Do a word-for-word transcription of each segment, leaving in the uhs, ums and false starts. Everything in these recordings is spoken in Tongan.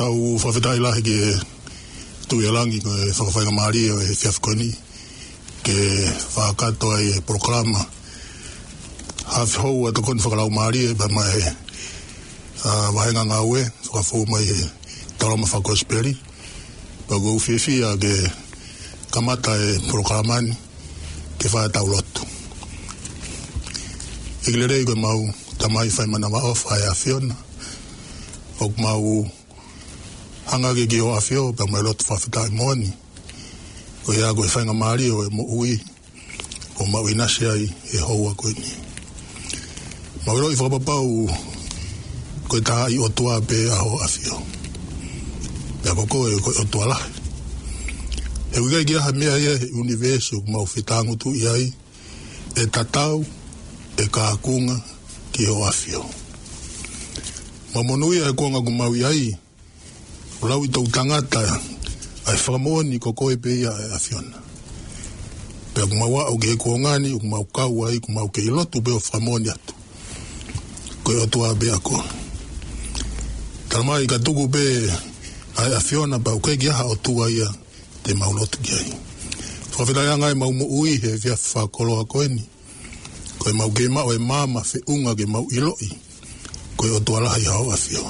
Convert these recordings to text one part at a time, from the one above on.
ʻOku ou fakafetaʻi lahi ki he Tuʻi ʻo Langi ko e fakafaingamālie ʻo e efiafi ko eni ke fakakakato ai e polokalama Haʻafi Houa Tokoni Fakalaumālie pea mo e, ʻa, vāhenga ngāue fakafou mai he Taulama Fakakosipeli. Pea ʻoku ou fiefia ke kamata e polokalama ni ke fai ʻetau lotu. ʻEiki lelei, ko ʻemau Tamai fai manavaʻofa ʻa e ʻAfiona, ʻoku mau hanga hake ki hoʻo ʻAfio pea mo e lotu fakafetaʻi moʻoni, koeʻuhi ko e faingamālie ʻo e moʻui ʻoku mau ʻinasi ai he houa ko eni. Mau ʻiloʻi fakapapau ko e taaʻi ʻOtua pē ʻa hoʻo ʻAfio. Pea ko koe ko e ʻOtua lahi. He ʻoku ʻikai ke ʻi ai ha meʻa ia he ʻunivēsi ʻoku mau fetāngutuʻi ai ʻe tatau ʻe kākunga ki hoʻo ʻAfio. Mau monūʻia he kuonga ʻoku mau ʻi ai, ʻo lau ʻi toʻutangata ʻa e fakamoʻoni ko koe pē ia ʻa e ʻAfiona. Pea ʻoku mau aʻu ki he kuonga ni, ʻoku mau kau ai, ʻoku mau kei lotu pē ʻo fakamoʻoni atu ko e ʻOtua pē ʻa koe. Talamai ka tuku pē ʻa e ʻAfiona pea ʻoku ʻikai ke ʻi ai ha ʻotua ia te mau lotu ki ai. Fakafetaʻi ange ʻemau moʻui he efiafi fakakoloa ko eni, ko ʻemau kei maʻu e maama feʻunga ke mau ʻiloʻi ko e ʻOtua lahi ʻa hoʻo ʻAfio.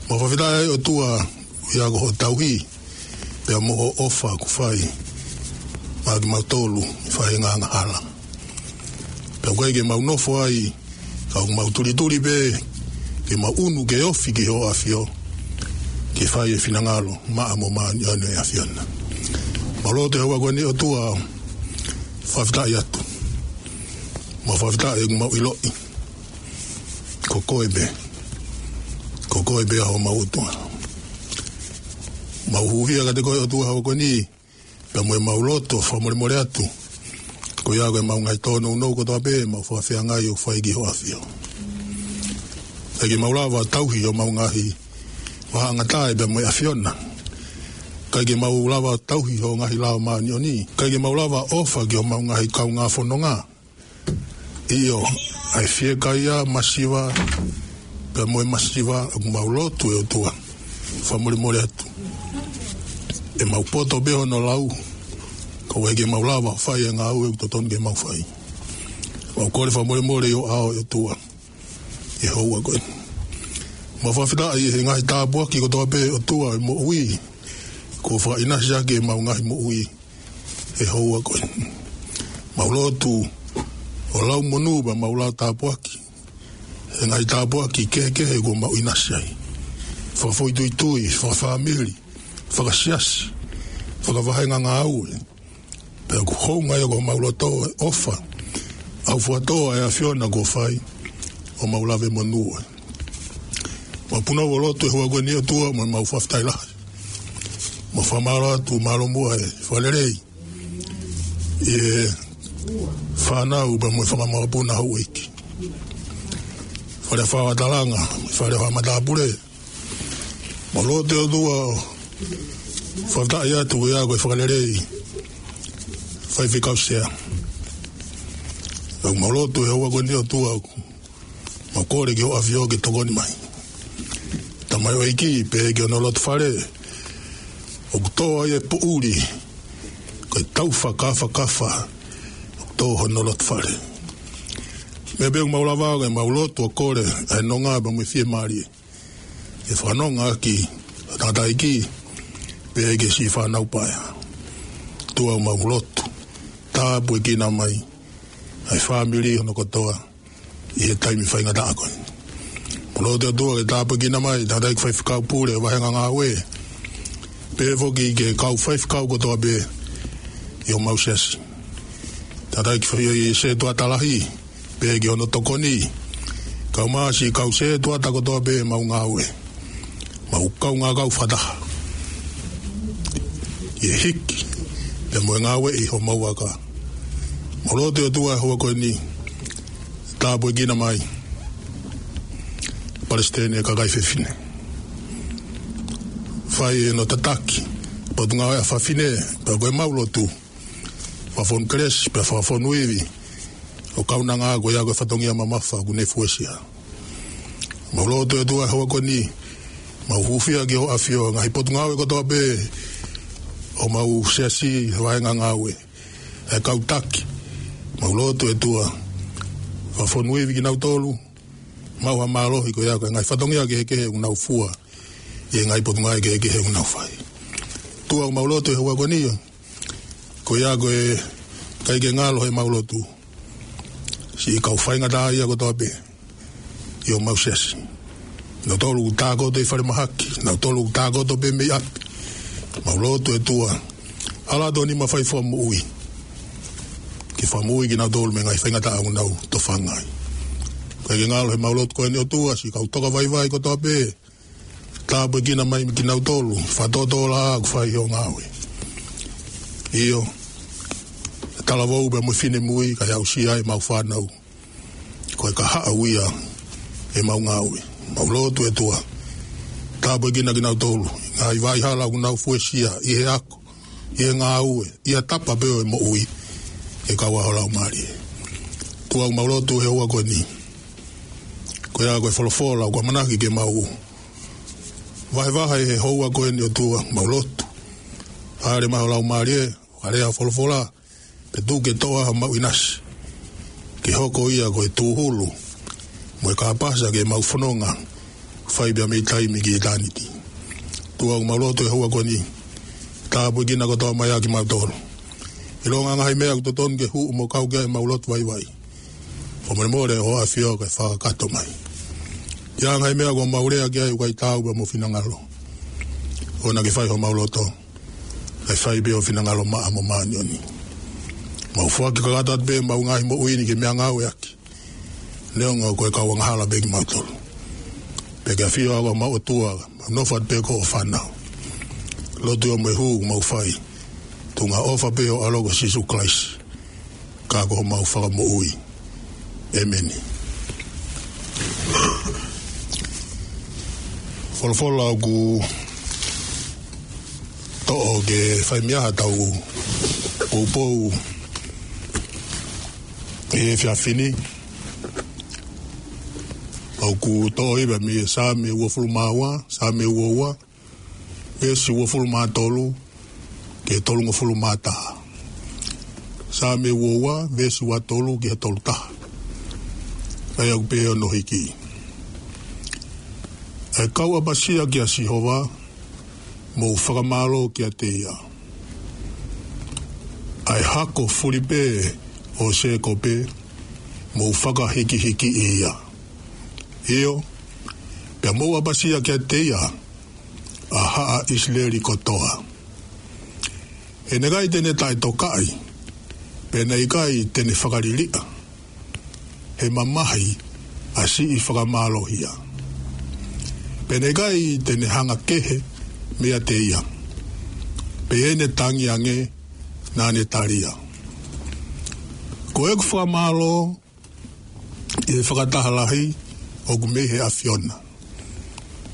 Mau fakafetaʻi ʻOtua ʻi he ʻoku hoʻo tauhi pea mo hoʻo ʻofa ʻoku fai maʻa kimautolu ʻi he faʻahinga angahala. Pea ʻoku ʻikai ke mau nofo ai, ka ʻoku mau tulituli pē ke mau ʻunu ke ofi ki hoʻo ʻAfio, ke fai e finangalo maʻa mo māʻoniʻoni ʻo e ʻAfiona. Mau lotu he houa ko eni ʻOtua, fakafetaʻi atu. Mau fakafetaʻi ʻoku mau ʻiloʻi ko koe pē, ko koe pē ʻa homau ʻOtua. Mau hūfia kiate koe ʻOtua he houa ko eni, pea mo ʻemau lotu ʻo fakamolemole atu koeʻuhi ko ʻemau ngaahi tōnounou kotoa pē, mau fakafeangai ʻo fai ki hoʻo ʻAfio. ʻIkai ke mau lava tauhi homau ngaahi vāhenga taʻe pea mo e ʻAfiona. ʻIkai ke mau lava tauhi hoʻo ngaahi lao māʻoniʻoni. ʻIkai ke mau lava ʻofa ki homau ngaahi kaungā fononga. ʻIo, ʻa e fiekaia, masiva, pea mo e masiva, ʻoku mau lotu ʻe ʻOtua, fakamolemole atu. ʻEmau poto pē hono lau, ka ʻoku ʻikai ke mau lava fai e ngāue ʻoku totonu ke mau fai. Mau kole fakamolemole ʻi ho ʻao ʻe ʻOtua, he houa ko eni. Mau fakafetaʻi he ngaahi tāpuaki kotoa pē ʻOtua ʻi he moʻui, kuo fakaʻinasi ʻaki ʻemau ngaahi moʻui he houa ko eni. Mau lotu ʻo lau monū pea mau lau tāpuaki he ngaahi tāpuaki kehekehe kuo mau ʻinasi ai. Fakafoʻituitui, fakafāmili, fakasiasi, fakavāhenga ngāue. Pea ʻoku hounga ia ko homau loto ʻe ʻofa, ʻaufuatō ʻa e ʻAfiona kuo fai ʻo mau lave monū ai. Mau punou ʻo lotu he houa ko eni ʻOtua, mau, mau fakafetaʻi lahi. Mau fakamālō atu, mālō muʻa e fakalelei ʻi he fānau pea mo e fanga makapuna houʻeiki. Fale Fakatalanga, Fale Fakamatapule. Mau lotu ʻOtua, fakafetaʻi atu ia ko e fakalelei Faifekau Sea. Mau lotu he houa ko eni ʻOtua, mau kole ki hoʻo ʻAfio ke tokoni mai. Tamaioʻeiki, pehē ki hono loto fale, ʻoku tō ai e poʻuli, ko e tau fakafakafa, ʻoku tō hono loto fale. Meʻa pē ʻoku mau lava ke mau lotu ʻo kole, ʻa e nonga pea mo e fiemālie, ke fakanonga ʻaki ʻa e tangataʻeiki, pehē ki he siʻi fānau paea. ʻOtua, mau lotu, tāpuekina mai ʻa e fāmili hono kotoa ʻi he taimi faingataʻa ko eni. Mau lotu ʻOtua ke tāpuekina mai tangataʻeiki faifekau pule, vāhenga ngāue, pehē foki ki he kau faifekau kotoa pē ʻi homau siasi. Tangataʻeiki fai ʻi he setuata lahi, pehē ki hono tokoni. Kau mai siʻi kau setuata kotoa pē ʻemau ngāue. Mau kaungā kau fakataha ʻi he hiki pea mo e ngāueʻi homau vaka. Mau lotu ʻOtua he houa ko eni, tāpuekina mai Palesiteni ʻa e kakai fefine. Fai ʻene tataki Potungāue ʻa Fafine, pea ko ʻemau lotu, fakafonu kelesi pea fakafonu ivi, ʻo kaunanga ko ia ko e fatongia mamafa ʻoku ne fuesia. Mau lotu ʻOtua he houa ko eni, Mau hūfia ki hoʻo ʻafio, ngaahi potungāue kotoa pē ʻo homau siasi, vahenga ngāue, ʻa e kau taki. Mau lotu ʻe ʻOtua, fakafonua ivi kinautolu, maʻu ha mālohi ko ia ko e ngaahi fatongia kehekehe ʻoku nau fua ʻi he ngaahi potungāue kehekehe ʻoku nau fai. ʻOtua, mau lotu he houa ko eni, ko ia ko e ʻikai ke ngalo heʻemau lotu siʻi kau faingataʻaʻia kotoa pē ʻi homau siasi. Nautolu ʻoku tākoto ʻi falemahaki, nautolu ʻoku tākoto pē mei ʻapi. Mau lotu ʻe ʻOtua, ala atu ho nima fai fakamoʻui ke fakamoʻui kinautolu mei he ngaahi faingataʻa ʻoku nau tofanga ai. ʻIkai ke ngalo heʻemau lotu ko eni ʻOtua siʻi kau toka vaivai kotoa pē, tāpuekina mai kinautolu, fakatōtōlaʻā ʻoku fai hoʻo ngāue. ʻIo, talavou pea mo e finemui, kae aʻusia ai ʻemau fānau. Ko e kahaʻu ia ʻemau ngāue. Mau lotu ʻe ʻOtua, tāpuekina kinautolu, ngaahi vaʻa hala ʻoku nau fuesia, ʻi he ako, ʻi he ngāue, ʻi ha tapa pē ʻo e moʻui, ʻe kau ai ho Laumālie. ʻOtua, mau lotu he houa ko eni, ko ia ko e folofola ʻoku ʻamanaki ke mau vahevahe he houa ko eni ʻOtua, mau lotu, ʻalu mai ho Laumālie, ʻo lea ho folofola, pea tuku ke toʻo ʻa homau ʻinasi, ke hoko ia ko e tūhulu mo e kāpasa ke mau fononga, fai pea mei taimi ki ʻitāniti. ʻOtua, mau lotu he houa ko eni, tāpuekina kotoa mai ʻa kimautolu. ʻIlonga ngaahi meʻa ʻoku totonu ke hū mo kau ki ai ʻemau lotu vaivai, fakamolemole hoʻo ʻafio ke fakakakato mai. ʻI he ngaahi meʻa ʻoku mau lea ki ai ʻoku ʻikai taau pea mo ho finangalo, ʻoua naʻa ke fai homau loto, kae fai pē ho finangalo maʻa mo māʻoniʻoni. Mau foaki kakato atu pē ʻemau ngaahi moʻui ni ke meʻangāueʻaki, neongo ko e kau angahala pē kimautolu. Pea ke ʻafio ʻa homau ʻOtua, mau nofo atu pē ko hoʻo fānau. Lotu ia mo e hū ʻoku mau fai, tuʻunga ʻofa pē ho ʻAlo ko Sīsū Kalaisi, ka ko homau Fakamoʻui. ʻĒmeni. Folofola ʻoku toʻo ke fai mei ai haʻatau poupou ʻi he efiafi ni, ʻoku toʻo ia mei he Saame uofulu mā ua, Saame ua ua, veesi uofulu mā tolu ki he tolungofulu mā taha. Saame ua ua, veesi ua tolu ki he tolu taha. ʻA ia ʻoku pehē hono hiki: ʻE kau ʻapasia kia Sihova, mou fakamālō kiate ia. ʻA e hako fulipē ʻo Sēkope, mou fakahikihikiʻi ia. ʻIo, pea mou ʻapasia kiate ia, ʻa haʻa ʻIsileli kotoa. He naʻe ʻikai te ne taʻetokaʻi, pea naʻe ʻikai te ne fakaliliʻa, he mamahi ʻa siʻi fakamālohia. Pea naʻe ʻikai te ne hanga kehe meiate ia, pea ʻi heʻene tangi ange naʻa ne talia. Ko ʻeku fakamālō ʻi he fakataha lahi ʻoku mei he ʻAfiona.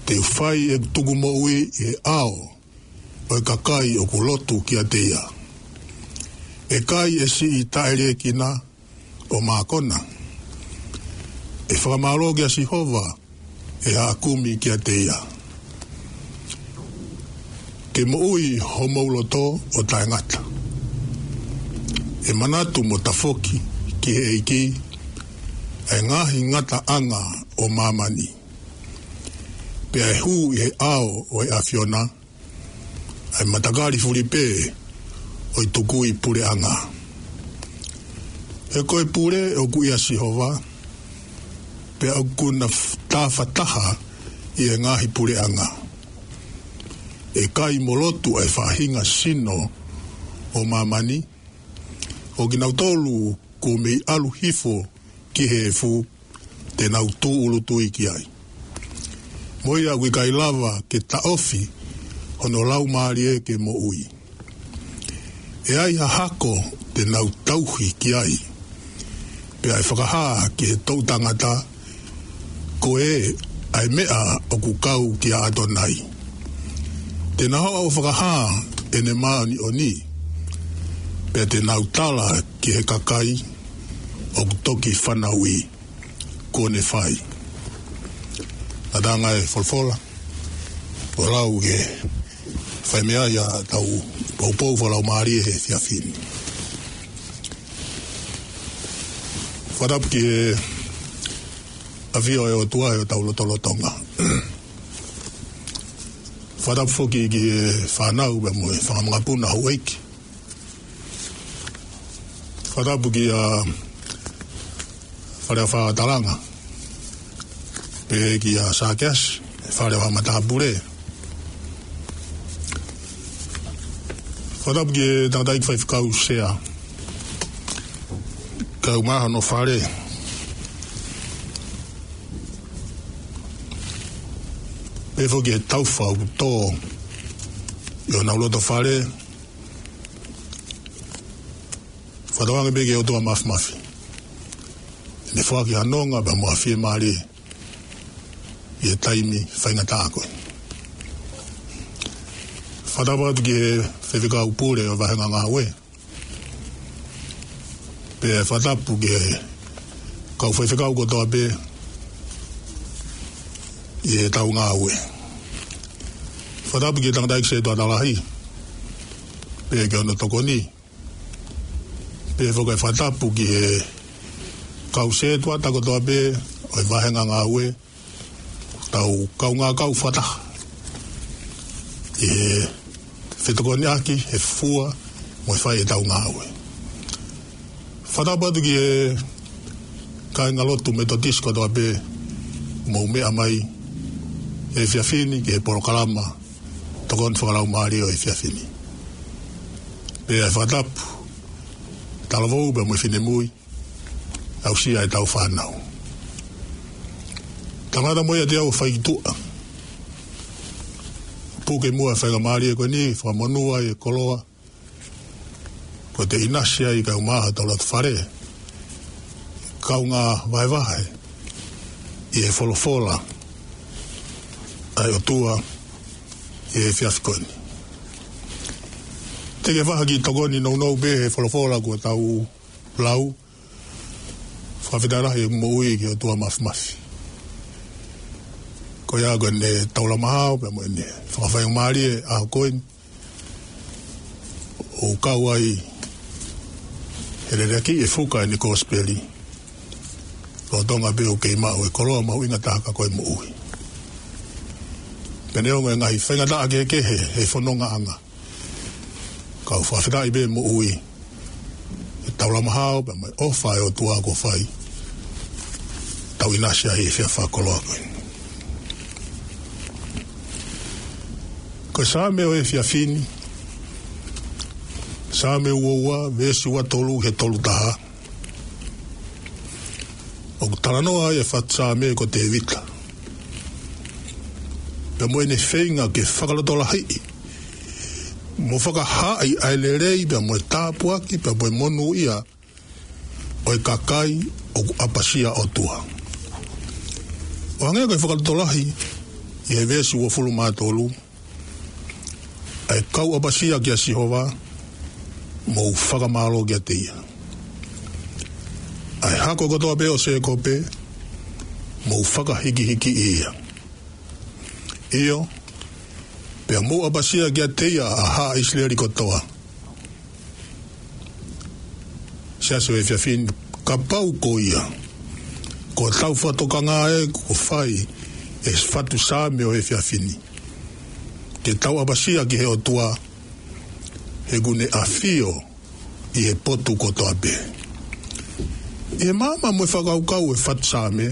Te u fai ʻeku tukumoʻui ʻi he ʻao ʻo e kakai ʻoku lotu kiate ia. ʻE kai ʻe siʻi taʻeliekina ʻo mākona. ʻE fakamālō kia Sihova ʻe haʻa kumi kiate ia. Ke moʻui homou loto ʻo taʻengata. ʻE manatu mo tafoki ki he ʻEiki ʻa e ngaahi ngataʻanga ʻo māmani. Pea ʻe hū ʻi he ʻao ʻo e ʻAfiona ʻa e matakali fulipē ʻo e tukui puleʻanga. He ko e pule ʻoku ʻia Sihova, pea ʻoku na f-, tāfataha ʻi he ngaahi puleʻanga. ʻE kai mo lotu ʻa e faʻahinga sino ʻo māmani, ʻo kinautolu kuo mei ʻalu hifo ki he efu, te nau tūʻulutui ki ai. Mo ia ʻoku ʻikai lava ke taʻofi hono laumālie ke moʻui. ʻE ai ha hako te nau tauhi ki ai, pea ʻe fakahā ki he toʻu tangata, ko e ʻa e meʻa ʻoku kau kia ʻAtonai. Te na hoʻo fakahā ʻene māʻoniʻoni, pea te nau tala ki he kakai ʻoku toki fanauʻi kuo ne fai. Ngataʻanga e folofola. Ko e lau ke fai mei ai ʻetau poupou fakalaumālie he efiafi ni. Fakatapu ki he ʻafio ʻa e ʻOtua ʻi hotau lotolotonga. Fakatapu foki ki he fānau pea mo e fanga makapuna houʻeiki. Fakatapu kia Fale ʻa Fakalanga, pehē kia Sakeasi, Fale ʻa Matāpule. Fakatapu ki he tangataʻeiki faifekau sea, kae ʻumaʻā hono fale. Pehē foki ki he taufa ʻoku tō ʻi honau loto fale. Fakatauange pē ki he ʻOtua Mafimafi ʻene foaki ha nonga pea mo ha fiemālie ʻi he taimi faingataʻa ko eni. Fakatapu atu ki he faifekau pule ʻo e vāhenga ngāue. Pea fakatapu ki he kau faifekau kotoa pē ʻi heʻetau ngāue. Fakatapu ki he tangataʻeiki sētuata lahi, pea ki hono tokoni. Pea foki ʻa e fakatapu ki he kau sētuata kotoa pē ʻo e vāhenga ngāue, tau kaungā kau fakataha ʻi he fetokoniʻaki, he fua, mo e fai ʻetau ngāue. Fakatapu atu ki he kāingalotu Metotisi kotoa pē ʻoku mou meʻa mai he efiafi ni ki he polokalama tokoni fakalaumālie ʻo e efiafi ni. Pea fakatapu, talavou pea mo e finemui, aʻusia ʻetau fānau. Tangata mo ia te au fai ki tuʻa. Puke muʻa faingamālie ko eni, fakamonū ai e koloa kuo te ʻinasi ai kae ʻumaʻā hotau loto fale, kaungā vahevahe ʻi he folofola ʻa e ʻOtua ʻi he efiafi ko eni. Te ke vaha ki tokoni nounou pē he folofola kuo tau lau. Fakafetaʻi lahi e moʻui ki he ʻOtua Mafimafi. Ko ia ko ʻene taulama hao pea mo ʻene fakafaingamālie ʻaho ko eni, ʻo kau ai he leleki e fuka ʻene kosipeli. Lolotonga pē ʻoku kei maʻu e koloa mahuʻinga taha ka ko e moʻui. Pea neongo e ngaahi faingataʻa kehekehe he fonongaʻanga, kau fakafetaʻi pē moʻui, e taulama hao pea mo e ʻofa ʻa e ʻOtua kuo fai, tau ʻinasi ai he efiafi fakakoloa ko eni. Ko e Saame ʻo e efiafi ni, Saame ua ua, veesi ua tolu ki he tolu taha. ʻOku talanoa ai e fatu saame ko Tēvita, pea mo ʻene feinga ke fakalotolahiʻi mo fakahaaʻi ʻa e lelei pea mo e tāpuaki pea mo e monūʻia ʻo e kakai ʻoku ʻapasia ʻOtua. ʻO hangē ko e fakalotolahi ʻi he veesi uofulu mā tolu, ʻa e kau ʻapasia kia Sihova, mou fakamālō kiate ia. ʻA e hako kotoa pē ʻo Sēkope, mou fakahikihikiʻi ia. ʻIo, pea mou ʻapasia kiate ia ʻa haʻa ʻIsileli kotoa. Siasi ʻo e efiafi ni, kapau ko ia, ko hotau fakatokanga ē kuo fai e fatu saame ʻo e efiafi ni, ke tau ʻapasia ki he ʻOtua, he ʻoku ne ʻafio ʻi he potu kotoa pē. ʻI he maama mo e fakakaukau e fatu saame,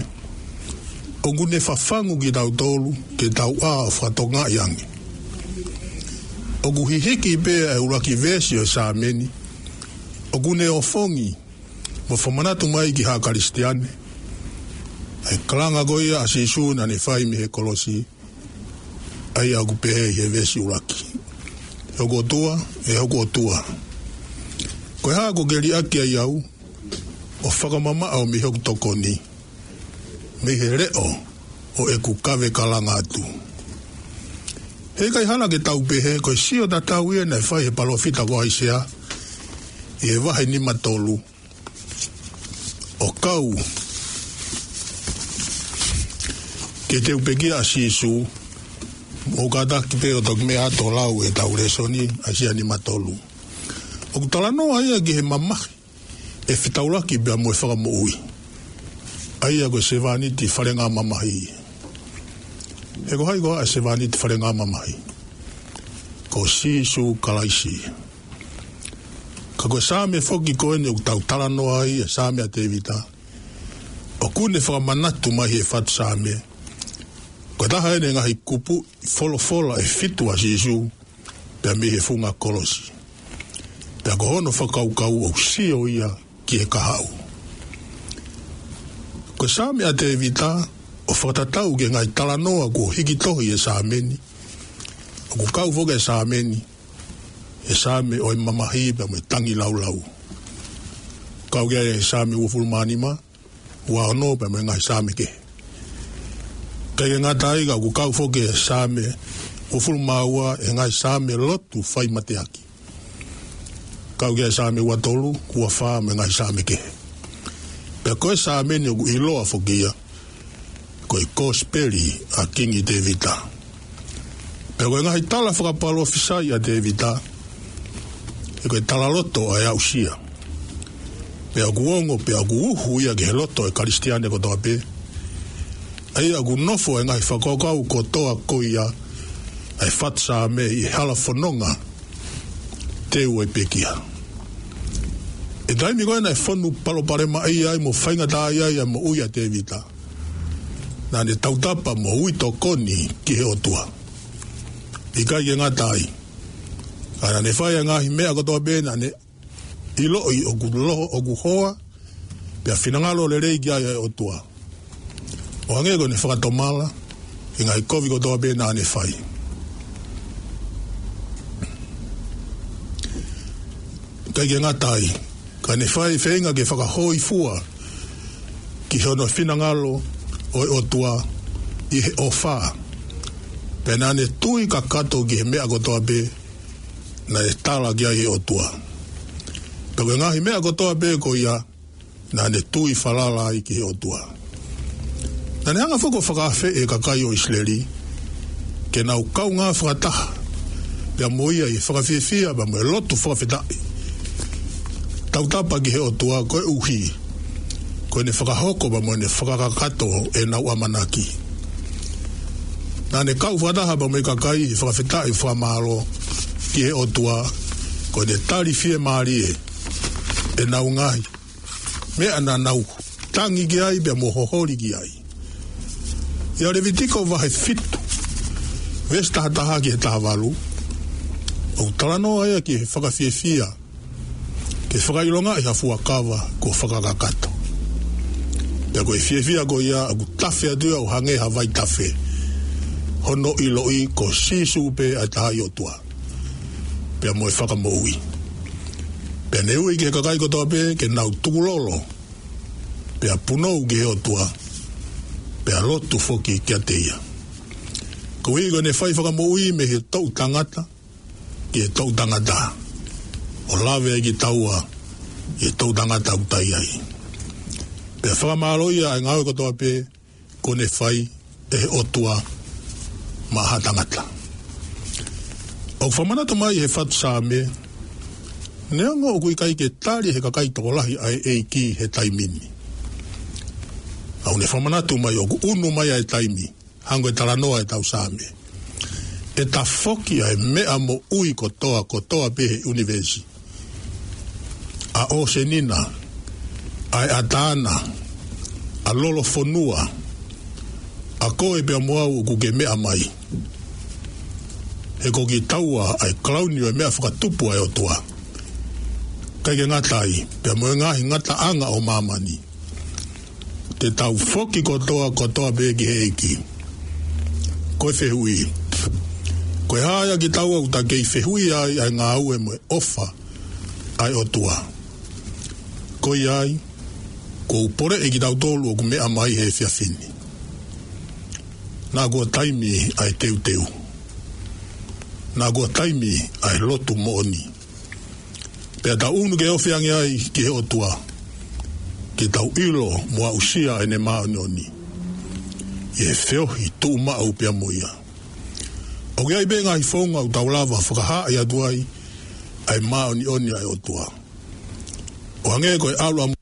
ʻoku ne fafangu kitautolu ke tau ʻā ʻo fakatokangaʻi ange. ʻOku hihiki pē ʻa e ʻuluaki veesi ʻo e saame ni, ʻoku ne ʻofongi mo fakamanatu mai ki ha Kalisitiane ʻa e kalanga ko ia ʻa Sīsū naʻa ne fai mei he kolosi, ʻa ia ʻoku pehē ʻi he veesi ʻuluaki: ʻE hoku ʻOtua, ʻe hoku ʻOtua, ko e hā kuo ke liʻaki ai au ʻo fakamamaʻo mei hoku tokoni, mei he leʻo ʻo ʻeku kave kalanga atu? Heʻikai hala ke tau pehē ko e sio tatau ia naʻe fai ʻe he palōfita ko ʻAisea ʻi he vahe nima tolu, ʻo kau ke teu pekia ʻa Sīsū, Mou kātaki pē ʻo toki meʻa atu ʻo lau ʻetau lēsoni, ʻAisea nima tolu. ʻOku talanoa ia ki he mamahi ʻe fetaulaki pea mo e fakamoʻui. ʻA ia ko e sevāniti falengamamahi. He ko hai koā e sevāniti falengamamahi? Ko Sīsū Kalaisi. Ka ko e Saame foki ko eni ʻoku tau talanoa ai, e Saame ʻa Tēvita, ʻoku ne fakamanatu mai he fatu Saame, ko e taha eni e ngaahi kupuʻi folofola ʻe fitu ʻa Sīsū, pea mei he funga kolosi. Pea ko hono fakakaukau ʻoku sio ia ki he kahaʻu. Ko e Saame ʻa Tēvita, ʻo fakatatau ki he ngaahi talanoa kuo hiki tohi he Saame ni, ʻoku kau foki e Saame ni he Saame ʻo e mamahi pea mo e tangilāulau. Kau ki ai e Saame uofulu mā nima, ua ono pea mo e ngaahi Saame kehe. ʻIkai ke ngata ai ka ʻoku kau foki e Saame uofulu mā ua e ngaahi Saame lotu fai mateaki. Kau ki ai e Saame ua tolu, ua fā mo e ngaahi Saame kehe. Pea ko e Saame ni ʻoku ʻiloa foki ia ko e Kosipeli ʻa Kingi Tēvita. Pea ko e ngaahi tala fakapalōfisai ʻa Tēvita, he ko e talaloto ʻa e aʻusia. Pea ʻoku ongo, pea ʻoku uhu ia ki he loto ʻo e Kalisitiane kotoa pē. ʻA ia ʻoku nofo e ngaahi fakakaukau kotoa ko ia ʻa e fatu Saame ʻi he hala fononga teu ʻo e pekia. ʻI he taimi ko ē naʻe fonu palopalemaʻia ai mo faingataʻaʻia ai e moʻui ʻa Tēvita, naʻa ne tautapa mo ui tokoni ki he ʻOtua. ʻIkai ke ngata ai, ka naʻa ne fai e ngaahi meʻa kotoa pē naʻa ne ʻiloʻi ʻoku loho, ʻoku hoa, pea finangalo lelei ki ai e ʻOtua, ʻo hangē ko ʻene fakatomala ʻi he ngaahi kovi kotoa pē naʻa ne fai. ʻIkai ke ngata ai, ka ne fai feinga ke fakahōifua ki hono finangalo ʻo e ʻOtua ʻi he ʻofa. Pea naʻa ne tui kakato ki he meʻa kotoa pē naʻe tala ki ai ʻe he ʻOtua. Pea ko e ngaahi meʻa kotoa pē ko ia, naʻa ne tui falala ai ki he ʻOtua. Naʻa ne hanga foki ʻo fakaafeʻi e kakai ʻo ʻIsileli ke nau kaungā fakataha pea mo ia ʻi he fakafiefia pea mo e lotu fakafetaʻi, tautapa ki he ʻOtua koeʻuhi ko ʻene fakahoko pea mo ʻene fakakakato ʻenau ʻamanaki. Naʻa ne kau fakataha pea mo e kakai ʻi he fakafetaʻi fakamālō ki he ʻOtua, ko ʻene tali fiemālie ʻenau ngaahi meʻa naʻa nau tangi ki ai pea mo hoholi ki ai. ʻIa Levitiko vahe fitu, veesi taha taha ki he taha valu, ʻoku talanoa ia ki he fakafiefia ke fakaʻilongaʻi ha fuakava kuo fakakakato. Pea ko e fiefia ko ia ʻoku tafe atu ia ʻo hangē ha vaitafe, hono ʻiloʻi ko Sīsū pē ʻa e Tangata ʻOtua pea mo e Fakamoʻui. Pea ne ui ki he kakai kotoa pē ke nau tukulolo, pea punou ki he ʻOtua, pea lotu foki kiate ia. Koeʻuhi ko ʻene fai fakamoʻui mei he toʻu tangata ki he toʻu tangata, ʻo lave ai kitaua ʻi he toʻu tangata ʻoku tau ʻi ai. Pea fakamālō ia ʻa e ngāue kotoa pē kuo ne fai ʻe he ʻOtua maʻa ha tangata. ʻOku fakamanatu mai he fatu Saame, neongo ʻoku ʻikai ke tali ʻe he kakai tokolahi ʻa e ʻEiki he taimi ni, ka ʻoku ne fakamanatu mai ʻoku ʻunu mai ʻa e taimi, hangē ko e talanoa ʻetau Saame, ʻe tafoki ʻa e meʻa moʻui kotoa, kotoa pē he ʻunivēsi, ʻa ʻōseni na, ʻa e ʻatā na, ʻa lolofonua, ʻa koe pea mo au ʻoku ke meʻa mai. He ko kitaua ʻa e kalauni ʻo e meʻa fakatupu ʻa e ʻOtua. ʻIkai ke ngata ai, pea mo e ngaahi ngataʻanga ʻo māmani, te tau foki kotoa, kotoa pē ki he ʻEiki. Ko e fehuʻi, ko e hā ia kitaua ʻoku ta kei fehuʻia ai ʻa e ngāue mo e ʻofa ʻa e ʻOtua? Ko ia ai, ʻoku ou poleʻi kitautolu ʻoku meʻa mai he efiafi ni. Naʻa kuo taimi ʻa e teuteu. Naʻa kuo taimi ʻa e lotu moʻoni. Pea tau ʻunu ke ofi ange ai ki he ʻOtua, ke tau ʻilo mo aʻusia ʻene māʻoniʻoni ʻi he feohi tuʻumaʻu pea mo ia. ʻOku ʻi ai pē ngaahi founga ʻoku tau lava fakahaaʻi atu ai ʻa e māʻoniʻoni ʻa e ʻOtua. ʻO hangē ko e ʻalu ʻa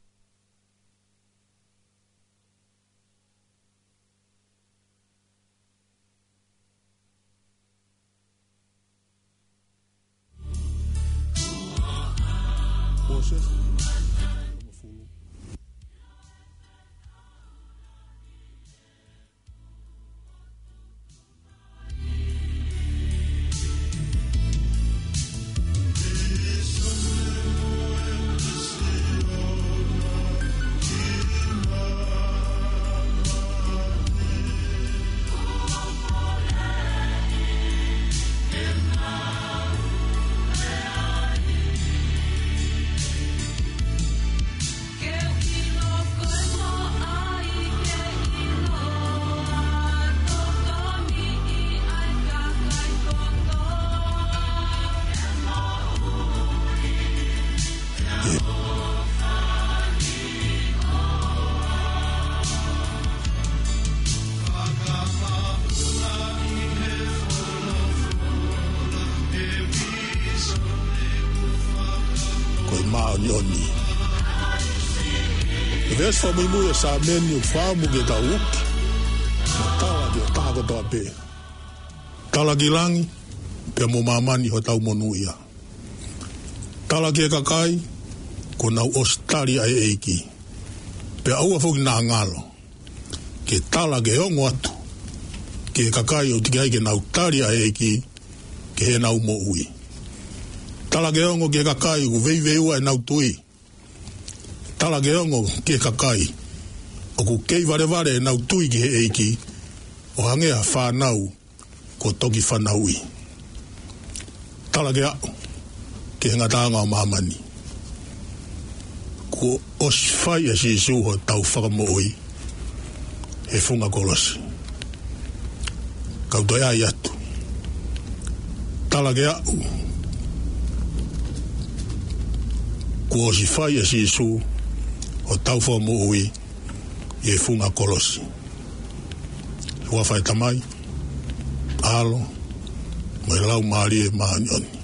Ko e māʻoniʻoni. ʻI he veesi fakamuimui ʻo e Saame ni ʻoku fakaʻamu ke tau uki mo tala ki he taha kotoa pē. Tala ki langi, pea mo māmani hotau monūʻia. Tala ki he kakai, kuo nau ʻosi tali ʻa e ʻEiki. Pea ʻoua foki naʻa ngalo ke tala ke ongo atu ki he kakai ʻoku teʻeki ai ke nau tali ʻa e ʻEiki ki heʻenau moʻui. Tala ke ongo ki he kakai ʻoku veiveiua ʻenau tui. Tala ke ongo ki he kakai ʻoku kei valevale ʻenau tui ki he ʻEiki, ʻo hangē ha fānau kuo toki fanauʻi. Tala ke aʻu ki he ngataʻanga ʻo māmani. Kuo ʻosi fai ʻe Sīsū hotau fakamoʻui he funga kolosi. Kau toe ʻai atu. Tala ke aʻu. Kuo ʻosi fai ʻe Sīsū hotau fakamoʻui he funga kolosi. Huafa ʻo e Tamai, ʻAlo, mo e Laumālie Māʻoniʻoni.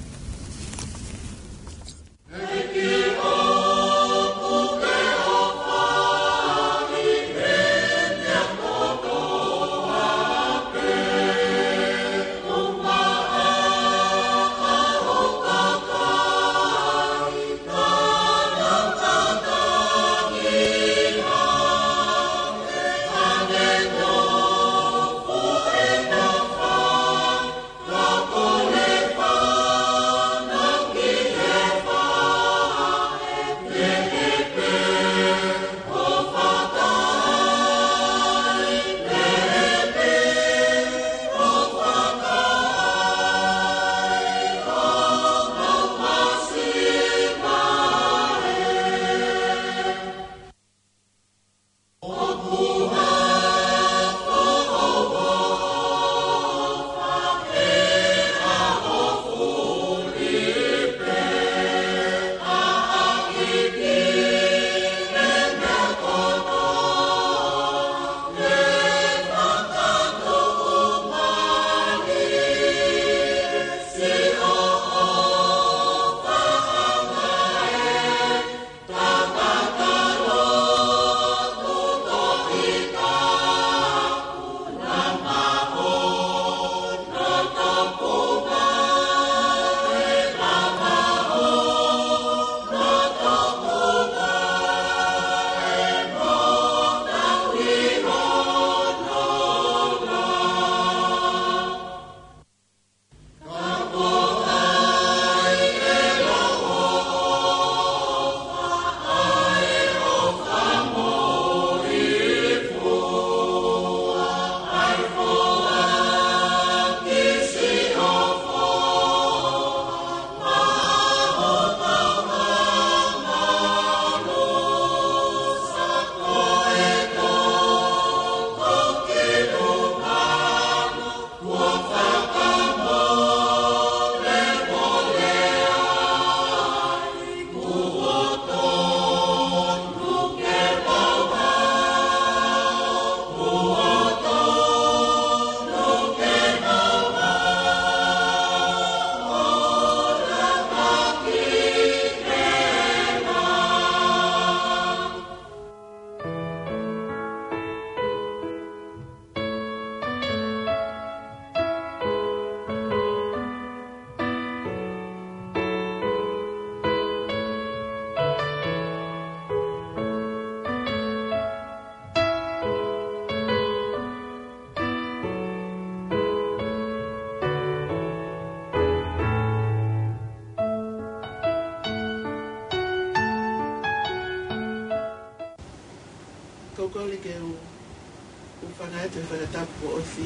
Kole ke u, u hūfanga atu he fakatapu kuo ʻosi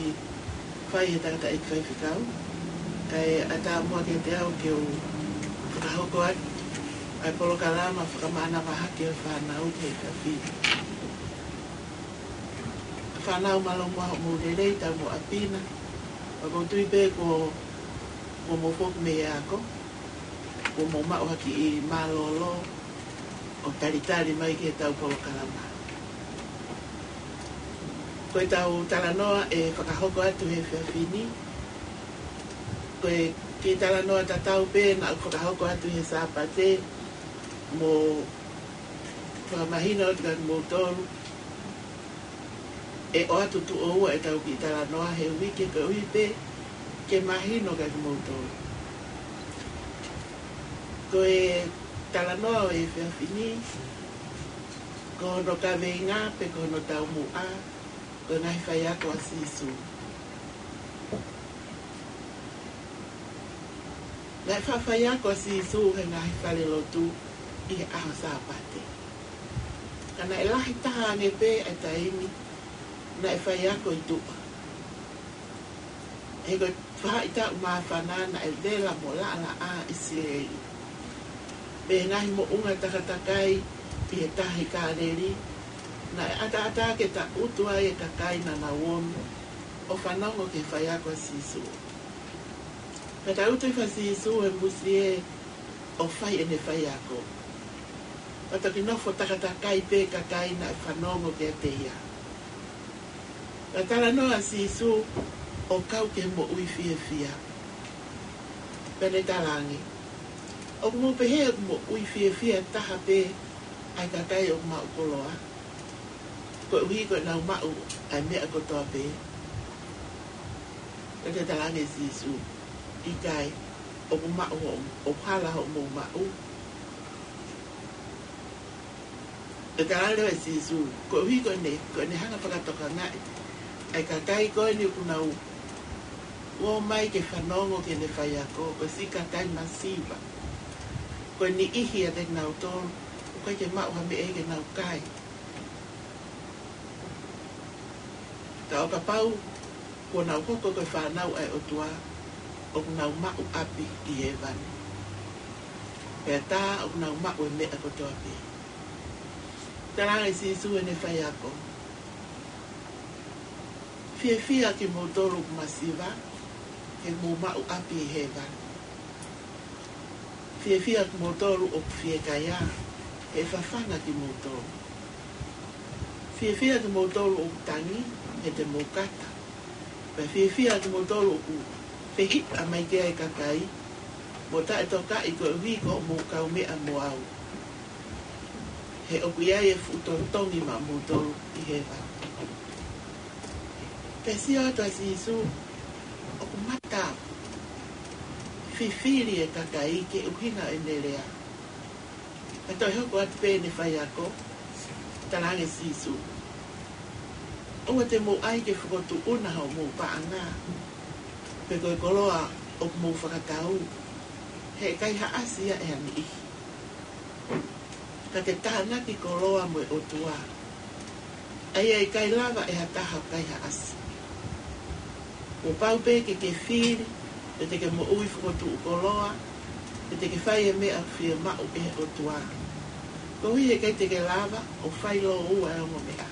fai ʻe he tangataʻeiki faifekau, kae ʻatā muʻa kiate au ke u fakahoko atu ʻa e polokalama fakamānava hake ʻo e fānau ki he efiafi ni. Fānau, mālō muʻa hoʻomou lelei, tau mo ʻapi na. Pea ʻoku ou tui pē kuo, kuo mou foki mei he ako, kuo mou maʻu ha kiʻi mālōlō ʻo talitali mai ki heʻetau polokalama. Ko ʻetau talanoa ʻe fakahoko atu he efiafi ni, ko e kiʻi talanoa tatau pē naʻa ku fakahoko atu he Sāpate, mo fakamahino atu kiate kimoutolu ʻe ʻoatu tuʻo ua ʻetau kiʻi talanoa he uike, koeʻuhi pē ke mahino kiate kimoutolu. Ko e talanoa ʻo e efiafi ni, ko hono kaveinga pe ko hono taumuʻa, ko e ngaahi faiako ʻa Sīsū. Naʻe faʻa faiako ʻa Sīsū he ngaahi falelotu ʻi he ʻaho Sāpate. Ka naʻe lahi taha ange pē ʻa e taimi naʻe faiako ʻi tuʻa. He ko e faʻahitaʻu māfana naʻe vela mo laʻalaʻā ʻIsileli. Pea ngaahi moʻunga takatakai ʻi he tahi Kāleli, naʻe ʻataʻatā ke tangutu ai e kakai naʻa nau ō mai ʻo fanongo ki he faiako ʻa Sīsū. Pea tangutu hifo ʻa Sīsū he musie ʻo fai ʻene faiako. Pea toki nofo takatakai pē kakai naʻe fanongo kiate ia. Pea talanoa ʻa Sīsū ʻo kau ki he moʻui fiefia. Pea ne talaange, ʻoku mou pehē ʻoku moʻui fiefia taha pē ʻa e kakai ʻoku maʻu koloa, koeʻuhi ko ʻenau maʻu ʻa e meʻa kotoa pē? Pea ne talaange ʻe Sīsū, ʻikai, ʻoku maʻu hoʻo, ʻoku hala hoʻomou maʻu. Pea talaange leva ʻe Sīsū, koeʻuhi ko ʻene, ko ʻene hanga ʻo fakatokangaʻi ʻa e kakai ko eni ʻoku nau ō mai ke fanongo ki heʻene faiako, ko e siʻi kakai masiva. Ko e niʻihi ʻiate kinautolu ʻoku ʻikai ke maʻu ha meʻa ia ke nau kai. Ka ʻo kapau kuo nau hoko ko e fānau ʻa e ʻOtua, ʻoku nau maʻu ʻapi ʻi hēvani. Pea tā ʻoku nau maʻu e meʻa kotoa pē. Talaange ʻe Sīsū heʻene faiako, fiefia kimoutolu ʻoku masiva, he mou maʻu ʻapi ʻi hēvani. Fiefia kimoutolu ʻoku fiekaia, he ʻe fafanga kimoutolu. Fiefia kimoutolu ʻoku tangi, he te mou kata. Pea fiefia kimoutolu ʻoku fehiʻa mai ki ai e kakai, mo taʻetokaʻi koeʻuhi ko hoʻomou kaumeʻa mo au. He ʻoku ʻi ai e fuʻu totongi maʻamoutolu ʻi hēvani. Pea sio atu ʻa Sīsū, ʻoku mata fifili e kakai ke ʻuhinga ʻene lea. Pea toe hoko atu pē ʻene faiako, talaange ʻe Sīsū, ʻoua te mou ʻai ke fokotuʻuna hoʻomou paʻanga, pe ko e koloa ʻoku mou fakatau, he ʻe kaihaʻasi ia ʻe ha niʻihi. Ka ke tānaki koloa mo e ʻOtua, ʻa ia ʻe ʻikai lava ʻe ha taha ʻo kaihaʻasi. Kuo pau pē ke ke fili, pe te ke moʻui fokotuʻu koloa, pe te ke fai e meʻa ʻoku fiemaʻu ʻe he ʻOtua. Koeʻuhi he ʻikai te ke lava ʻo fai lōua e ongo meʻa.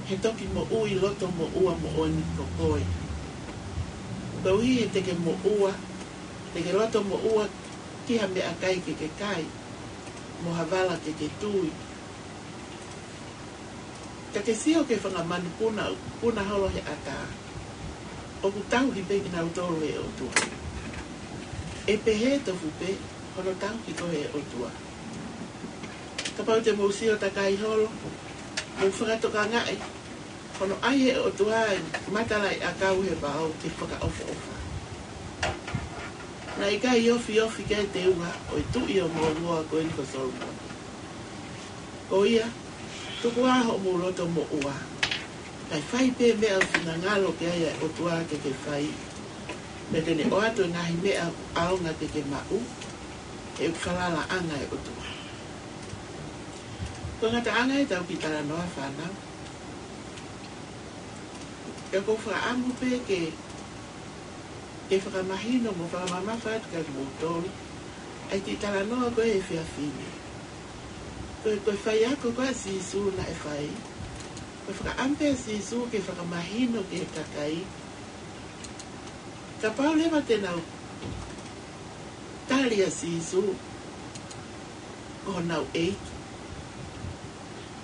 He toki moʻui loto moʻua moʻoni ko koe. Koeʻuhi he te ke moʻua, te ke loto moʻua ki ha meʻakai ke ke kai, mo ha vala ke ke tui. Ka ke sio ki he fanga manupuna ʻoku puna holo he ʻatā, ʻoku tauhi pē kinautolu ʻe he ʻOtua. ʻE pehē tofu pē hono tauhi koe ʻe he ʻOtua. Kapau te mou sio takai holo, mou fakatokangaʻi hono ʻai ʻe he ʻOtua e matalaʻiʻakau he vao ke fakaʻofoʻofa. Naʻe ʻikai ofiofi ki ai e teunga ʻo e tuʻi ʻo Moamoa ko eni ko Solomone. Ko ia, tuku ā hoʻomou loto moʻua, kae fai pē meʻa ʻoku finangalo ki ai ʻa e ʻOtua ke ke fai, pea te ne ʻoatu e ngaahi meʻa ʻoku ʻaonga ke ke maʻu, he ʻoku falalaʻanga e ʻOtua. Ko e ngataʻanga ʻetau kiʻi talanoa fānau. Ka ʻoku ou fakaʻamu pē ke, ke fakamahino mo fakamamafa atu kiate kimoutolu ʻa e kiʻi talanoa ko ē he efiafi ni. Ko e, ko e faiako ko ē ʻa Sīsū naʻe fai. Ko e fakaʻamu pē ʻa Sīsū ke fakamahino ki he kakai. Kapau leva te nau tali ʻa Sīsū ko honau ʻEiki,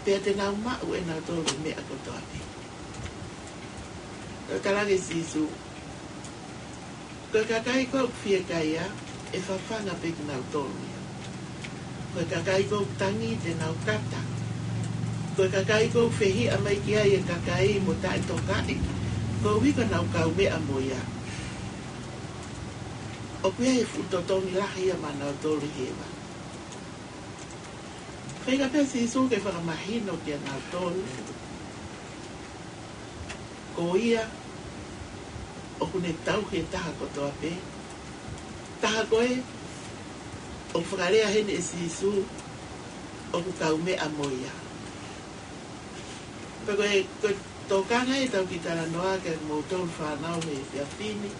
pea te nau maʻu ʻe nautolu e meʻa kotoa pē. Naʻe talaange ʻe Sīsū, ko e kakai ko ē ʻoku fiekaia, ʻe fafanga pē kinautolu ia. Ko e kakai ko ē ʻoku tangi te nau kata. Ko e kakai ko ē ʻoku fehiʻa mai ki ai e kakai mo taʻetokaʻi, koeʻuhi ko ʻenau kaumeʻa mo ia, ʻoku ʻi ai e fuʻu totongi lahi ia maʻa nautolu ʻi hēvani. Feinga pē ʻa Sīsū ke fakamahino kiate kinautolu, ko ia ʻoku ne tauhi e taha kotoa pē. Taha ko ē ʻoku fakalea heni ʻe Sīsū ʻoku kaumeʻa mo ia. Pea ko e, ko e tokanga ʻetau kiʻi talanoa kiate kimoutolu fānau he efiafi ni.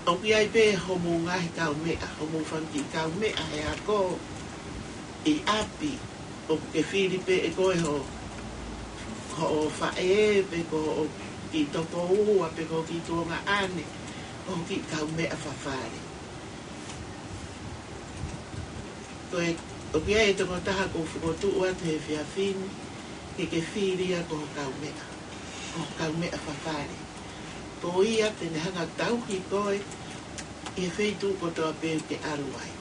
ʻOku ʻi ai pē hoʻomou ngaahi kaumeʻa, hoʻomou fanga kiʻi kaumeʻa he ako, ʻi ʻapi, ʻoku ke fili pē ʻe koe ho, hoʻo faʻē, pe ko hoʻo kiʻi tokoua, pe ko hoʻo kiʻi tuongaʻane, hoʻo kiʻi kaumeʻa fafale. Ko e, ʻoku ʻi ai e tokotaha ʻoku ou fokotuʻu atu he efiafi ni, ke ke fili ia ko ho kaumeʻa, ko ho kaumeʻa fafale. Ko ia te ne hanga ʻo tauhi koe ʻi he feituʻu kotoa pē ʻoku ke ʻalu ai.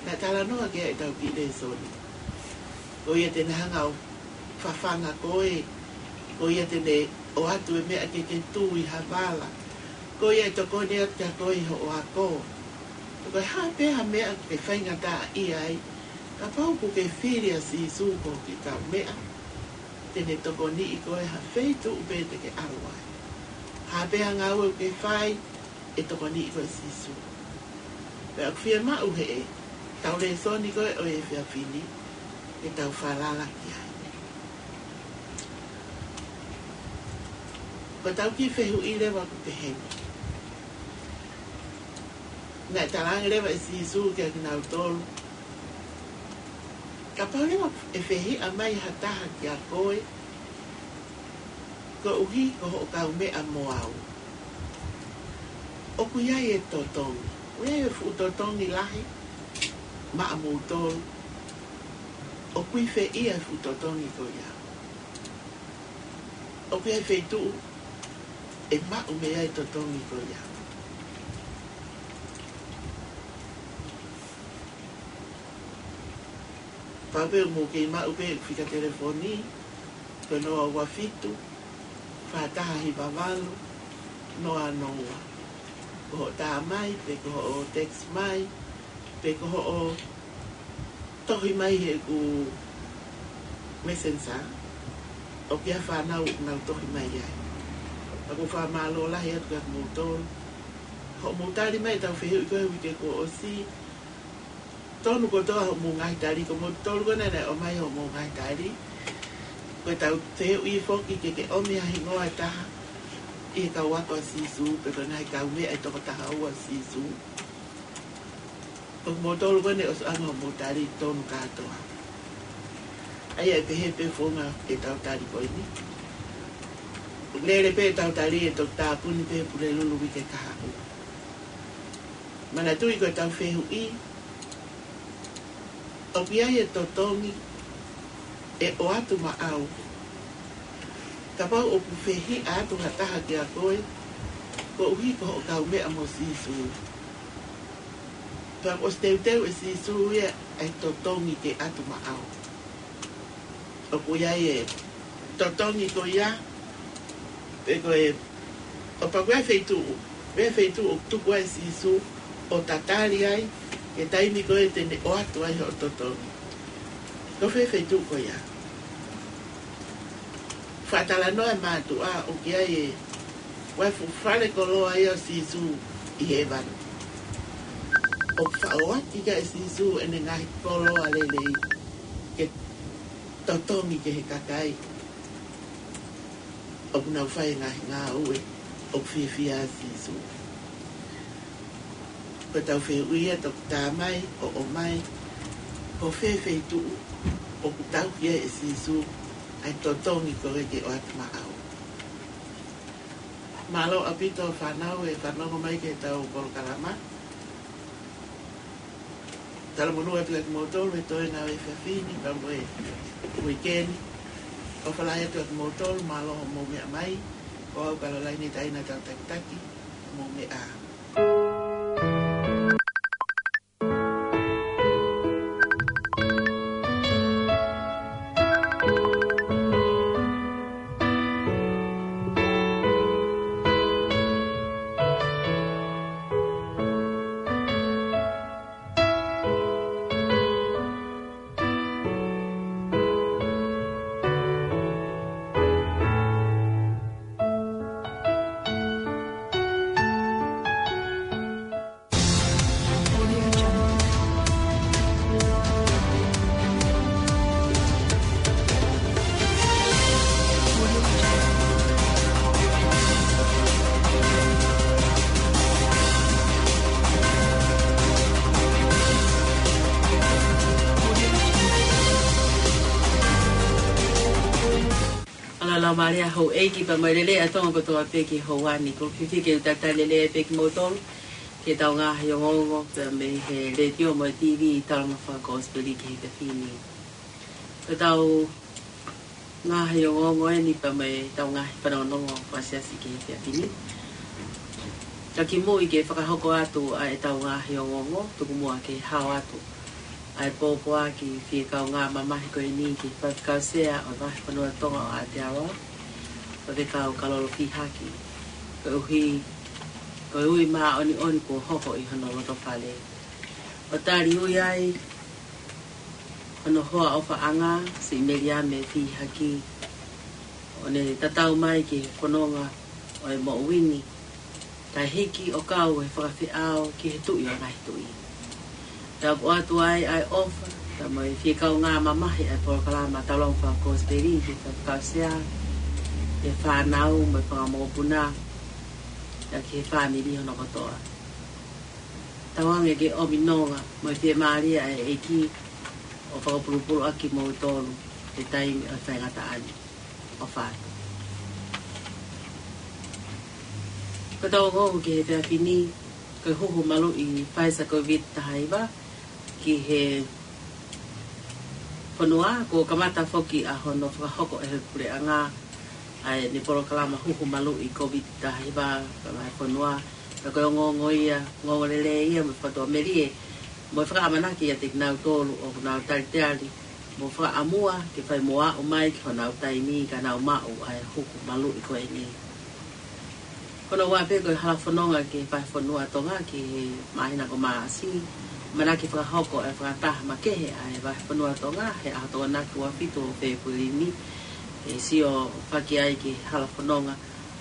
Naʻe talanoa ki ai ʻetau kiʻi lēsoni. Ko ia te ne hanga ʻo fafanga koe, ko ia te ne ʻoatu e meʻa ke ke tui ha vala. Ko ia ʻe tokoni atu kiate koe ʻi hoʻo ako. Ko e hā pē ha meʻa ʻoku ke faingataʻaʻia ai, kapau ʻoku ke fili ʻa Sīsū ko ho kiʻi kaumeʻa, te ne tokoniʻi koe ha feituʻu pē te ke ʻalu ai. Hā pē ha ngāue ʻoku ke fai, ʻe tokoniʻi koe ʻe Sīsū. Pea ʻoku fiemaʻu heʻetau lēsoni ko ē ʻo e efiafi ni, ke tau falala ki ai. Ko ʻetau kiʻi fehuʻi leva ʻoku peheni. Naʻe talaange leva ʻe Sīsū kiate kinautolu, kapau leva ʻe fehiʻa mai ha taha kiate koe, koeʻuhi ko hoʻo kaumeʻa mo au, ʻoku ʻi ai e totongi. ʻOku ʻi ai e fuʻu totongi lahi maʻamoutolu. ʻOku ʻi fē ia e fuʻu totongi ko ia? ʻOku ʻi ai e feituʻu ʻe maʻu mei ai e totongi ko ia? Pau pē ʻoku mou kei maʻu pē e fika telefoni, ko e noa ua fitu, fā taha hiva valu, noa noa. Ko hoʻo tā mai, pe ko hoʻo text mai, pe ko hoʻo tohi mai heʻeku Messenger, ʻoku ʻi ai e fānau ʻoku nau tohi mai ai. Pea ʻoku ou fakamālō lahi atu kiate kimoutolu hoʻomou tali mai ʻetau fehuʻi ko ē he uike kuo ʻosi. Tonu kotoa hoʻomou ngaahi tali, ko moutolu ko ē naʻe ʻomai hoʻomou ngaahi tali. Ko ʻetau fehuʻi foki ke ke ʻomi ha hingoa ʻe taha ʻi he kau ako ʻa Sīsū, pe ko e ngaahi kaumeʻa ʻe toko taha ua ʻo Sīsū. Ko moutolu ko ē naʻe ʻosi ʻoange hoʻomou tali, tonu kātoa. ʻA ia ʻe pehē pē founga ʻetau tali ko eni. Lele pē ʻetau tali ʻe toki tāpuni pē he Pulelulu uike kahaʻu. Manatuʻi ko ʻetau fehuʻi, ʻoku ʻi ai e totongi ʻe ʻoatu maʻau kapau ʻoku fehiʻa atu ha taha kiate koe, koeʻuhi ko hoʻo kaumeʻa mo Sīsū. Pea ʻosi teuteu ʻe Sīsū ia ʻa e totongi ke ʻatu maʻau. ʻOku ʻi ai e totongi ko ia, pe ko e, ʻo pau ko e feituʻu, ko e feituʻu ʻoku tuku ai ʻe Sīsū ʻo tatali ai, ki he taimi ko ē te ne ʻoatu ai hoʻo totongi. Ko fē feituʻu ko ia? Fakatalanoa e mātuʻa ʻoku ʻi ai e, ko e fuʻu fale koloa ia ʻo Sīsū ʻi hēvani. ʻOku faʻo ʻaki ʻe Sīsū ʻene ngaahi koloa lelei ke totongi ki he kakai ʻoku nau fai e ngaahi ngāue ʻoku fiefia ai Sīsū. Ko ʻetau fehuʻi ia, toki tā mai, ʻo ʻomai, ko fē feituʻu ʻoku tauhi ai ʻe Sīsū ʻa e totongi ko ē ki he ʻoatu maʻau. Mālō ʻaupito fānau e fanongo mai ki heʻetau polokalama. Talamonū atu kiate kimoutolu he toe ngāue efiafi ni pea mo e uike ni. ʻOfa lahi atu kiate kimoutolu, mālō hoʻomou meʻa mai. Ko au Kalolaine Taina Tautakitaki, mou meʻa ā. ʻAla lau mālie houʻeiki pea mo e lelei ʻa Tonga kotoa pē ki he houa ni. Ko e fiefia ke u talitali lelei pē kimoutolu ki heʻetau ngaahi ongoongo pea mei he letiō mo e TV ʻi he talanoa fakakosipeli ki he efiafi ni. Ko ʻetau ngaahi ongoongo eni pea mo ʻetau ngaahi fanongonongo fakasiasi ki he efiafi ni. Ka kimuʻa ke fakahoko atu ʻa ʻetau ngaahi ongoongo, tuku muʻa ke hao atu ʻa e pōpoaki fie kaungā mamahi ko eni ki he Faifekau Sea ʻo e Vahefonua Tonga ʻo Aotearoa, Faifekau Kalolo Fihaki, koeʻuhi ko e ui māʻoniʻoni kuo hoko ʻi hono loto fale. ʻO tali ui ai hono hoa ʻofaʻanga, Siʻi Meliame Fihaki, ʻo ne tatau mai ki he fononga ʻo e moʻui ni, kae hiki ʻo kau he fakafeʻao ki he Tuʻi ʻo e ngaahi tuʻi. Pea ʻoku ʻoatu ai ʻa e ʻofa pea mo e fie kaungā mamahi ʻa e polokalama Taulau Fakakosipeli ki he Faifekau Sea, ki he fānau mo e fanga mokopuna, pea ki he fāmili hono kotoa. Tauange ke ʻomi nonga mo e fiemālie ʻa e ʻEiki ʻo fakapulupulu ʻaki kimoutolu he taimi ʻo e faingataʻa ni. ʻOfa atu. Ko ʻetau ongoongo ki he efiafi ni, ko e huhu maluʻi Pfizer Covid taha hiva ki he fonua, kuo kamata foki ʻa hono fakahoko ʻe he puleʻanga ʻa ʻene polokalama huhu maluʻi Covid taha hiva ki he vahefonua. Pea ko e ongoongo ia, ongoongo lelei ia mo e fakatuʻamelie, mo e fakaʻamanaki ʻiate kinautolu ʻoku nau talitali mo fakaʻamua ke fai mo aʻu mai ki honau taimi ka nau maʻu ʻa e huhu maluʻi ko eni. Ko hono ua pē ko e hala fononga ki he Vahefonua Tonga ki he māhina ko Maʻasi, ʻamanaki fakahoko e fakataha makehe ʻa e Vahefonua Tonga he ʻaho Tokonaki ua fitu ʻo Fēpueli ni, ʻe sio faki ai ki he hala fononga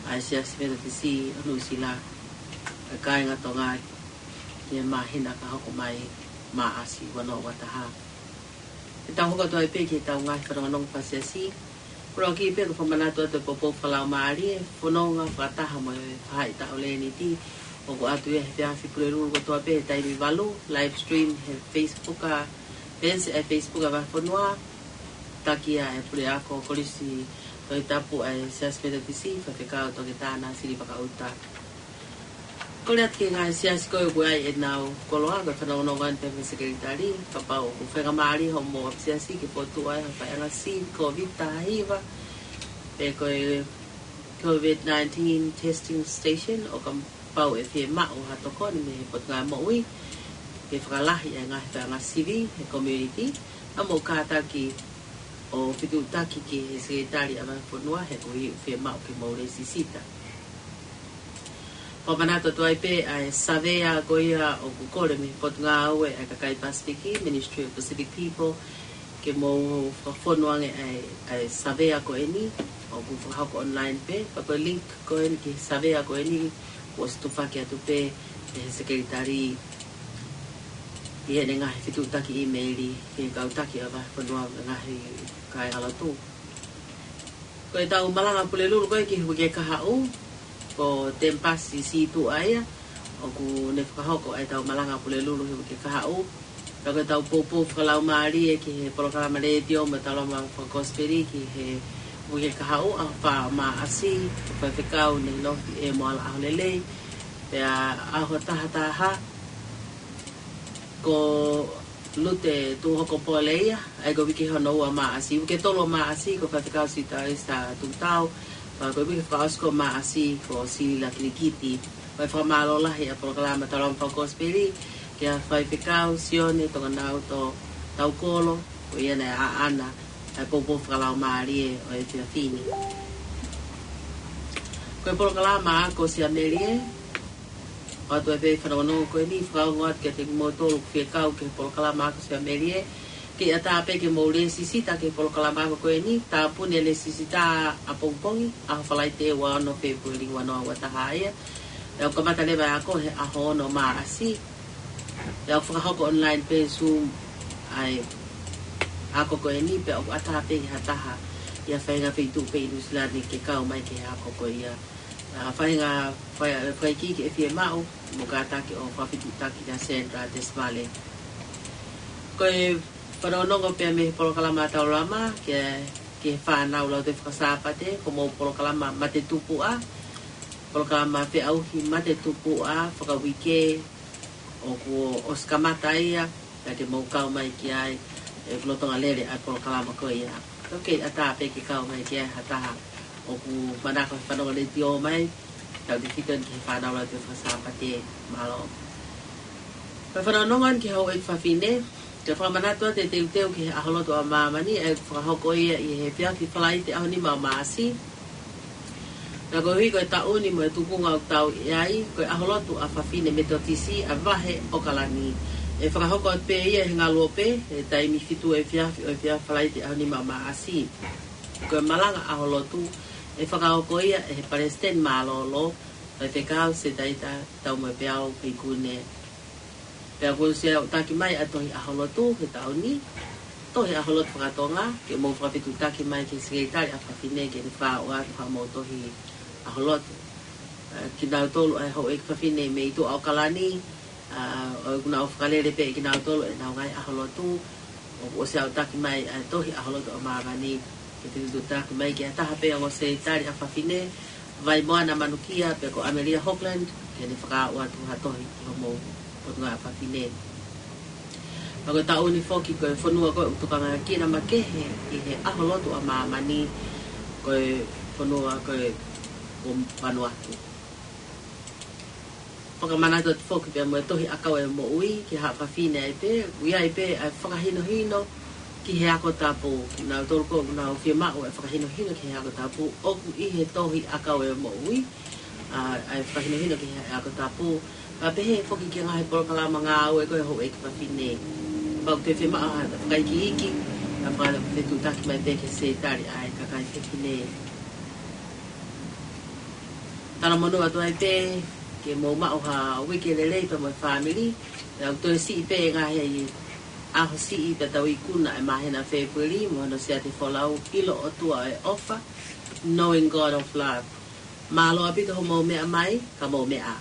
ʻa e Siasi Metotisi ʻo Nuʻusila ʻa e Kāinga Tonga ki he māhina ka hoko mai, Maʻasi ua noa ua taha. Ke tau hoko atu ai pē ki heʻetau ngaahi fanongonongo fakasiasi. Pulaki pē ko e fakamanatu atu e poupou fakalaumālie, fononga fakataha mo e faʻahitaʻu Leniti, ʻoku ʻoatu ia he efiafi Pulelulu kotoa pē he taimi valu, live stream he Facebook ʻa, page ʻa e Facebook ʻa e Vahefonua, taki ʻa e Puleako Kolisi Tohitapu ʻa e Siasi Metotisi, Faifekau Toketā Nāsili Vakaʻuta. Kole atu ki he ngaahi siasi ko ē ʻoku ʻi ai ʻenau koloa, ko e fanongonongo eni pē mo e sekelitali, kapau ʻoku faingamālie hoʻomou ʻapisiasi ke fokotuʻu ai ha faiʻanga sivi Covid taha hiva, pe ko e Covid nineteen testing station, ʻo kapau ʻe fiemaʻu ha tokoni mei he Potungāue Moʻui, ke fakalahi e ngaahi faiʻanga sivi he community, ʻa mou kātaki ʻo fetuʻutaki ki he sekelitali ʻa e Vahefonua he ʻoku fiemaʻu ke mou lēsisita. Fakamanatu atu ai pē ʻa e savea ko ia ʻoku kole mei he Potungāue ʻa e Kakai Pasifiki, Ministry of Pacific People, ke mou fakafonu ange ʻa e, ʻa e savea ko eni, ʻoku fakahoko online pē, pea ko e link ko eni ki he savea ko eni, kuo ʻosi tufaki atu pē ʻe he sekelitali. ʻi heʻene ngaahi fetuʻutaki ʻīmeili ki he kau taki ʻo e vahefonua mo e ngaahi kāingalotu. Ko ʻetau malanga Pulelulu ko ē ki he uike kahaʻu, ko Tempasi Situʻa ia, ʻoku ne fakahoko ʻetau malanga Pulelulu he uike kahaʻu. Pea ko ʻetau poupou fakalaumālie ki he polokalama letiō mo e taulama fakakosipeli ki he uike kahaʻu, ʻaho fā Maʻasi, ko Faifekau Neilofi E. Moala ʻAholelei. Pea ʻaho taha taha, ko Lute Tuhoko Pole ia, ʻa ia ko e uike hono ua Maʻasi, uike tolu Maʻasi, ko Faifekau Sitaisa Tutau, pea ko e uike fakaʻosi ko Maʻasi, ko Silila Kilikiti. Ko e fakamālō lahi ʻa e polokalama taulama fakakosipeli, kia Faifekau Sione Tonganauto Taukolo, ko ia naʻe ʻaʻana ʻa e poupou fakalaumālie ʻo e efiafi ni. Ko e polokalama ako Siamelie, ʻoatu ai pē fanongonongo ko eni, fakaongo atu kiate kimoutolu ʻoku fie kau ki he polokalama ako Siamelie, ke ʻatā pē ke mou lēsisita ki he polokalama ako ko eni, tāpuni e lēsisita ʻapongipongi, ʻaho Falaite ua ono Fēpueli ua noa ua taha ia. Pea ʻoku kamata leva e ako he ʻaho ono Maʻasi. Pea ʻoku fakahoko online pē Zoom ʻa e ako ko eni, pea ʻoku ʻatā pē ki ha taha ʻi ha faʻahinga feituʻu pē ʻi Nuʻu Sila ni ke kau mai ki he ako ko ia. ʻA, faʻahinga, fai, fai ki ke fie maʻu, mou kātaki ʻo fakafetuʻutaki kia Sandra Tesvale. Ko e fanongonongo pē mei he polokalama taulama, ki he, ki he fānau lautohi faka-Sāpate, ko homou polokalama Mate Tupuʻa, polokalama feʻauhi Mate Tupuʻa, fakauike, ʻoku ʻosi kamata ia, pea ke mou kau mai ki ai, ʻoku lolotonga lele ʻa e polokalama ko ia. ʻOku ʻatā pē ke kau mai ki ai ha taha ʻoku manako he fanongo letiō mai, tautefito ki he fānau lautohi faka-Sāpate, mālō. Ko e fanongonongo eni ki he houʻeiki fafine, ke fakamanatu atu e teuteu ki he ʻAho Lotu ʻa Māmani, ʻa ia ʻoku fakahoko ia ʻi he efiafi Falaite ʻaho nima ʻo Maʻasi. Pea koeʻuhi ko e taʻu ni mo e tuʻunga ʻoku tau ʻi ai, ko e ʻAho Lotu ʻa Fafine Metotisi ʻa e vahe ʻAokalani. ʻE fakahoko atu pē ia he ngaluope, he taimi fitu efiafi ʻo e efiafi Falaite ʻaho nima ʻo Maʻasi. Ko e malanga ʻAho Lotu, ʻe fakahoko ia ʻe he Palesiteni Mālōlō, Faifekau Setaita Taumoepeau Peikune. Pea kuo ʻosi aʻutaki mai ʻa e tohi ʻAho Lotu he taʻu ni, tohi ʻAho Lotu faka-Tonga, ke mou fakafetuʻutaki mai ki he Sekelitali ʻa Fafine ke ne fakaaʻu atu haʻamou tohi ʻAho Lotu. ʻA, kinautolu ʻa e houʻeiki fafine mei tuʻa ʻAokalani, ʻa, ʻoku nau fakalele pē kinautolu ʻenau ngaahi ʻAho Lotu, ʻoku ʻosi aʻutaki mai ʻa e tohi ʻAho Lotu ʻa Māmani, ke fetuʻutaki mai ki ha taha pē ongo Sekelitali ʻa Fafine, Vaimoana Manukia pe ko ʻAmelia Hogland, ke ne fakaaʻu atu ha tohi ki homou Potungāue ʻa Fafine. Pea ko e taʻu ni foki ko e fonua ko ē ʻoku tokangaekina makehe ʻi he ʻAho Lotu ʻa Māmani, ko e fonua ko ē ko Vanuatu. Fakamanatu atu foki pea mo e tohi ʻAkau ʻo e Moʻui ki he Haʻa Fafine ai pē, ʻoku ʻi ai pē ʻa e fakahinohino ki he ako tapu. Kinautolu ko ē ʻoku nau fie maʻu ʻa e fakahinohino ki he ako tapu, ʻoku ʻi he tohi ʻAkau ʻo e Moʻui, ʻa, ʻa e fakahinohino ki he ako tapu. Pea pehē foki ki he ngaahi polokalama ngāue ko ē houʻeiki fafine. Pea ʻoku te fie maʻu ha fakaikiiki, ʻa e fakafetuʻutaki mai pē ki he Sekelitali ʻa e kakai fefine. Talamonū atu ai pē ke mou maʻu ha uike lelei pea mo e fāmili. Pea ʻoku toe siʻi pē e ngaahi ʻaho siʻi pea tau ikuna e māhina Fēpueli mo hono siate folau, ʻIlo ʻOtua ʻo e ʻOfa, Knowing God of Love. Mālō ʻaupito hoʻomou meʻa mai, ka mou meʻa ā.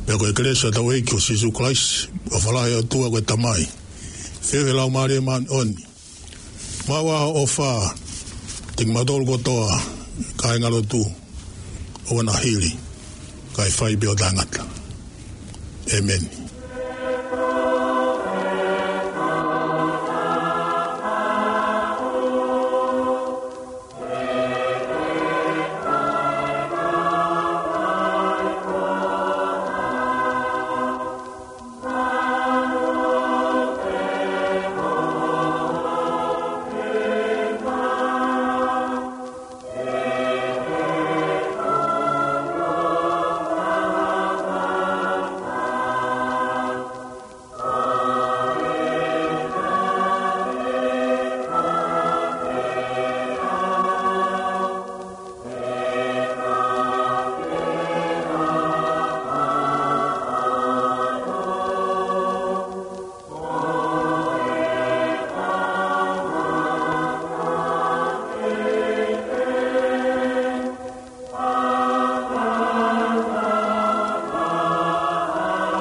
Pea ko e kelesi ʻa hotau ʻEiki ko Sīsū Kalaisi, ʻofa lahi ʻa e ʻOtua ko e Tamai, feohi ʻa e Laumālie Māʻoniʻoni, maʻu ʻa e ʻofa kiate kimautolu kotoa, kāingalotu, ʻo na hili, kae fai pē ʻo taʻengata. ʻĒmeni.